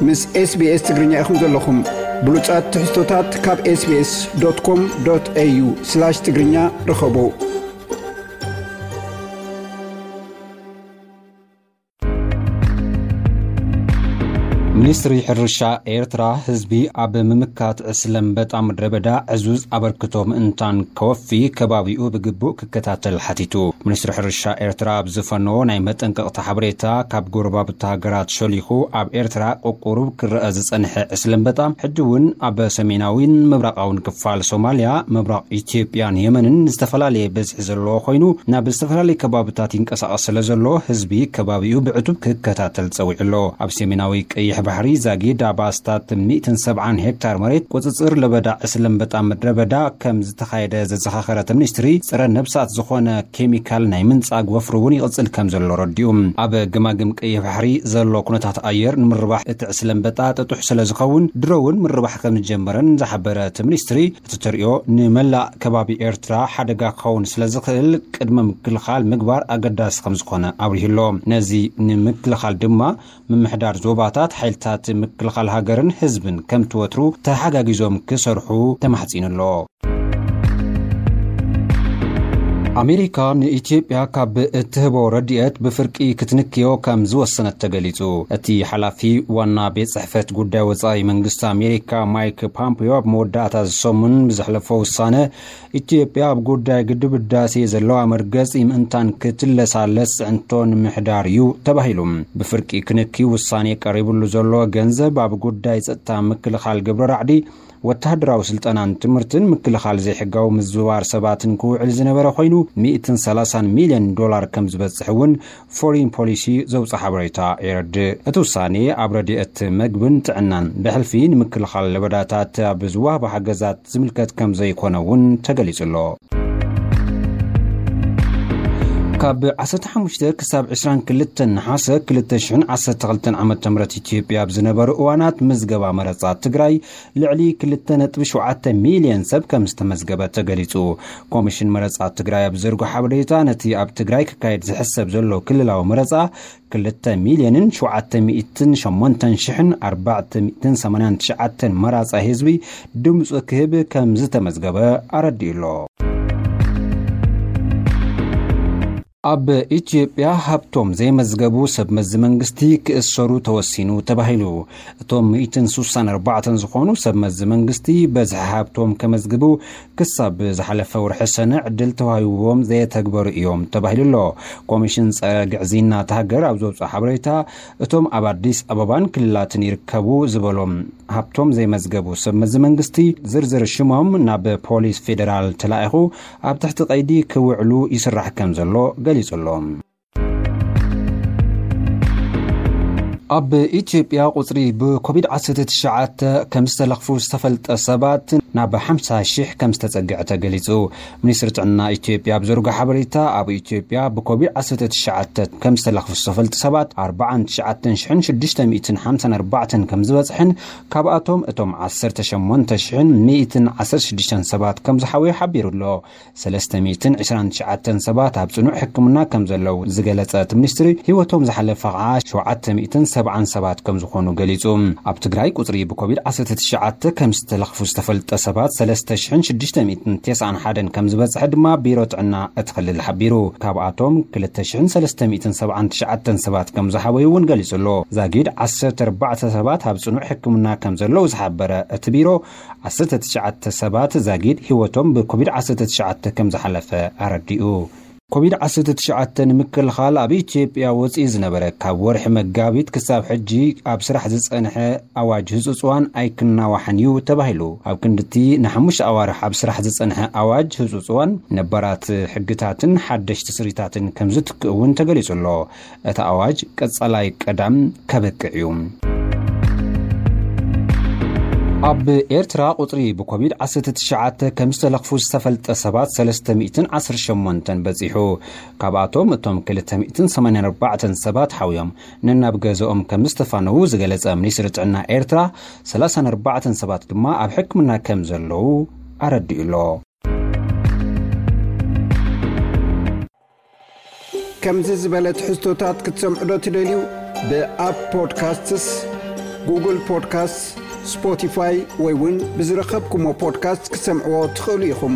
ምስ SBS ትግርኛ ኢኹም ዘለኹም። ብሉጻት ትሕዝቶታት ካብ SBS.com.au/ትግርኛ ርኸቡ። ሚኒስትሪ ሕርሻ ኤርትራ፣ ህዝቢ ኣብ ምምካት ዕስለ ኣንበጣ ምድረ በዳ ዕዙዝ ኣበርክቶ ምእንታን ከወፊ፣ ከባቢኡ ብግቡእ ክከታተል ሓቲቱ። ሚኒስትሪ ሕርሻ ኤርትራ ኣብ ዝፈነዎ ናይ መጠንቀቕታ ሓበሬታ፣ ካብ ጎረባብቲ ሃገራት ሸሊኹ ኣብ ኤርትራ ቁቁሩብ ክረአ ዝጸንሐ ዕስለ ኣንበጣ፣ ሕጂ እውን ኣብ ሰሜናዊን ምብራቓውን ክፋል ሶማልያ፣ ምብራቕ ኢትዮጵያን የመንን ዝተፈላለየ ብዝሒ ዘለዎ ኮይኑ፣ ናብ ዝተፈላለየ ከባብታት ይንቀሳቐስ ስለ ዘሎ፣ ህዝቢ ከባቢኡ ብዕቱብ ክከታተል ጸዊዑ ኣሎ። ኣብ ሰሜናዊ ቀይሕ ባሕሪ ዛጊድ ኣብ ኣስታት ሚእትን ሰብዓን ሄክታር መሬት ቁጽጽር ለበዳ ዕስለ ኣንበጣ ምድረ በዳ ከም ዝተኻየደ ዘዘኻኸረ እቲ ሚኒስትሪ፣ ጸረ ነብሳት ዝኾነ ኬሚካል ናይ ምንጻግ ወፍሪ እውን ይቕጽል ከም ዘሎ ረዲኡ። ኣብ ገማግም ቀይሕ ባሕሪ ዘሎ ኩነታት ኣየር ንምርባሕ እቲ ዕስለ ኣንበጣ ጥጡሕ ስለ ዝኸውን፣ ድሮ እውን ምርባሕ ከም ዝጀመረን ዝሓበረ እቲ ሚኒስትሪ፣ እቲ ተርእዮ ንመላእ ከባቢ ኤርትራ ሓደጋ ክኸውን ስለ ዝኽእል፣ ቅድመ ምክልኻል ምግባር ኣገዳሲ ከም ዝኾነ ኣብሪሁ ኣሎ። ነዚ ንምክልኻል ድማ፣ ምምሕዳር ዞባታት፣ ሓይልታት ምክልኻል ሃገርን ህዝብን ከምቲ ወትሩ ተሓጋጊዞም ክሰርሑ ተማሕጺኑ ኣሎ። ኣሜሪካ ንኢትዮጵያ ካብ እትህቦ ረድኤት ብፍርቂ ክትንክዮ ከም ዝወሰነት ተገሊጹ። እቲ ሓላፊ ዋና ቤት ጽሕፈት ጉዳይ ወጻኢ መንግስቲ ኣሜሪካ ማይክ ፖምፒዮ ኣብ መወዳእታ ዝሰሙን ብዘሕለፎ ውሳነ፣ ኢትዮጵያ ኣብ ጉዳይ ግድብ ህዳሴ ዘለዋ መርገጺ ምእንታን ክትለሳለስ ጽዕንቶ ንምሕዳር እዩ ተባሂሉ። ብፍርቂ ክንኪ ውሳኔ ቀሪቡሉ ዘሎ ገንዘብ ኣብ ጉዳይ ጸጥታ፣ ምክልኻል ግብረ ራዕዲ፣ ወተሃደራዊ ስልጠናን ትምህርትን፣ ምክልኻል ዘይሕጋዊ ምዝውዋር ሰባትን ክውዕል ዝነበረ ኮይኑ፣ ሚእትን ሰላሳን ሚልዮን ዶላር ከም ዝበጽሕ እውን ፎሪን ፖሊሲ ዘውፅእ ሓበሬታ የረድእ። እቲ ውሳኔ ኣብ ረድኤት መግብን ጥዕናን ብሕልፊ ንምክልኻል ለበዳታት ኣብ ዝወሃቡ ሓገዛት ዝምልከት ከም ዘይኮነ እውን ተገሊጹ ኣሎ። ካብ ዓሰርተ ሓሙሽተ ክሳብ ዕስራን ክልተን ነሓሰ ክልተ ሽሕን ዓሰርተ ክልተን ዓመተ ምህረት ኢትዮጵያ ኣብ ዝነበሩ እዋናት ምዝገባ መረጻ ትግራይ ልዕሊ ክልተ ነጥቢ ሸውዓተ ሚልዮን ሰብ ከም ዝተመዝገበ ተገሊጹ። ኮሚሽን መረጻ ትግራይ ኣብ ዘርጎ ሓበሬታ፣ ነቲ ኣብ ትግራይ ክካየድ ዝሕሰብ ዘሎ ክልላዊ መረጻ ክልተ ሚልዮንን ሸውዓተ ሚእትን ሸሞንተን ሽሕን ኣርባዕተ ሚእትን ሰማንያን ትሽዓተን መራጻይ ህዝቢ ድምጹ ክህብ ከም ዝተመዝገበ ኣረዲኡ ኣሎ። ኣብ ኢትዮጵያ ሃብቶም ዘይመዝገቡ ሰብ መዚ መንግስቲ ክእሰሩ ተወሲኑ ተባሂሉ። እቶም ሚእትን ስሳን ኣርባዕተን ዝኾኑ ሰብ መዚ መንግስቲ በዝሒ ሃብቶም ከመዝግቡ ክሳብ ዝሓለፈ ወርሒ ሰነ ዕድል ተዋሂብዎም ዘየተግበሩ እዮም ተባሂሉ ኣሎ። ኮሚሽን ጸረ ግዕዝይና እታ ሃገር ኣብ ዘውፅኦ ሓበሬታ፣ እቶም ኣብ ኣዲስ ኣበባን ክልላትን ይርከቡ ዝበሎም ሃብቶም ዘይመዝገቡ ሰብ መዚ መንግስቲ ዝርዝር ሽሞም ናብ ፖሊስ ፌዴራል ተላኢኹ ኣብ ትሕቲ ቀይዲ ክውዕሉ ይስራሕ ከም ዘሎ ገሊጹ ኣሎ። ኣብ ኢትዮጵያ ቁጽሪ ብኮቪድ ዓሰርተ ትሽዓተ ከም ዝተለኽፉ ዝተፈልጠ ሰባት ናብ ሓምሳ ሺሕ ከም ዝተጸግዐ ተገሊጹ። ሚኒስትሪ ጥዕና ኢትዮጵያ ኣብ ዘርጎ ሓበሬታ፣ ኣብ ኢትዮጵያ ብኮቪድ ዓሰርተ ትሽዓተ ከም ዝተለኽፉ ዝተፈልጡ ሰባት ኣርባዓን ትሽዓተ ሽሕን ሽዱሽተ ሚእትን ሓምሳን ኣርባዕተን ከም ዝበጽሕን፣ ካብኣቶም እቶም ዓሰርተ ሸሞንተ ሽሕን ሚእትን ዓሰርተ ሽዱሽተን ሰባት ከም ዝሓወዩ ሓቢሩ ኣሎ። ሰለስተ ሚእትን ዕስራን ትሽዓተን ሰባት ኣብ ጽኑዕ ሕክምና ከም ዘለዉ ዝገለጸ እቲ ሚኒስትሪ፣ ህይወቶም ዝሓለፈ ኸዓ ሸውዓተ ሚእትን ሰብዓን ሰባት ከም ዝኾኑ ገሊጹ። ኣብ ትግራይ ቁጽሪ ብኮቪድ ዓሰርተ ትሽዓተ ከም ዝተለኽፉ ዝተፈልጠ ሰባት ሰለስተ ሽሕን ሽዱሽተ ሚእትን ተስዓን ሓደን ከም ዝበጽሐ ድማ ቢሮ ጥዕና እቲ ክልል ሓቢሩ። ካብኣቶም ክልተ ሽሕን ሰለስተ ሚእትን ሰብዓን ትሽዓተን ሰባት ከም ዝሓወዩ እውን ገሊጹ ኣሎ። ዛጊድ ዓሰርተ ኣርባዕተ ሰባት ኣብ ጽኑዕ ሕክምና ከም ዘለዉ ዝሓበረ እቲ ቢሮ፣ ዓሰርተ ትሽዓተ ሰባት ዛጊድ ህይወቶም ብኮቪድ ዓሰርተ ትሽዓተ ከም ዝሓለፈ ኣረዲኡ። ኮቪድ ዓሰርተ ትሽዓተ ንምክልኻል ኣብ ኢትዮጵያ ወፂኡ ዝነበረ ካብ ወርሒ መጋቢት ክሳብ ሕጂ ኣብ ስራሕ ዝፀንሐ ኣዋጅ ህፁፅ እዋን ኣይክናዋሕን እዩ ተባሂሉ። ኣብ ክንድቲ ንሓሙሽተ ኣዋርሕ ኣብ ስራሕ ዝፀንሐ ኣዋጅ ህፁፅ እዋን ነባራት ሕግታትን ሓደሽቲ ስሪታትን ከም ዝትክእ እውን ተገሊፁ ኣሎ። እቲ ኣዋጅ ቀፃላይ ቀዳም ከብቅዕ እዩ። ኣብ ኤርትራ ቁጽሪ ብኮቪድ ዓሰርተ ትሽዓተ ከም ዝተለኽፉ ዝተፈልጠ ሰባት ሰለስተ ሚእትን ዓሰርተ ሸሞንተን በጺሑ። ካብኣቶም እቶም ክልተ ሚእትን ሰማንያን ኣርባዕተን ሰባት ሓውዮም ነናብ ገዝኦም ከም ዝተፋነዉ ዝገለጸ ሚኒስትሪ ጥዕና ኤርትራ፣ ሰላሳን ኣርባዕተን ሰባት ድማ ኣብ ሕክምና ከም ዘለዉ ኣረዲኡ ኣሎ። ከምዚ ዝበለ ትሕዝቶታት ክትሰምዑ ዶ ትደልዩ? ብኣፕ ፖድካስትስ፣ ጉግል ፖድካስት፣ ስፖቲፋይ ወይ እውን ብዝረኸብኩሞ ፖድካስት ክትሰምዕዎ ትኽእሉ ኢኹም።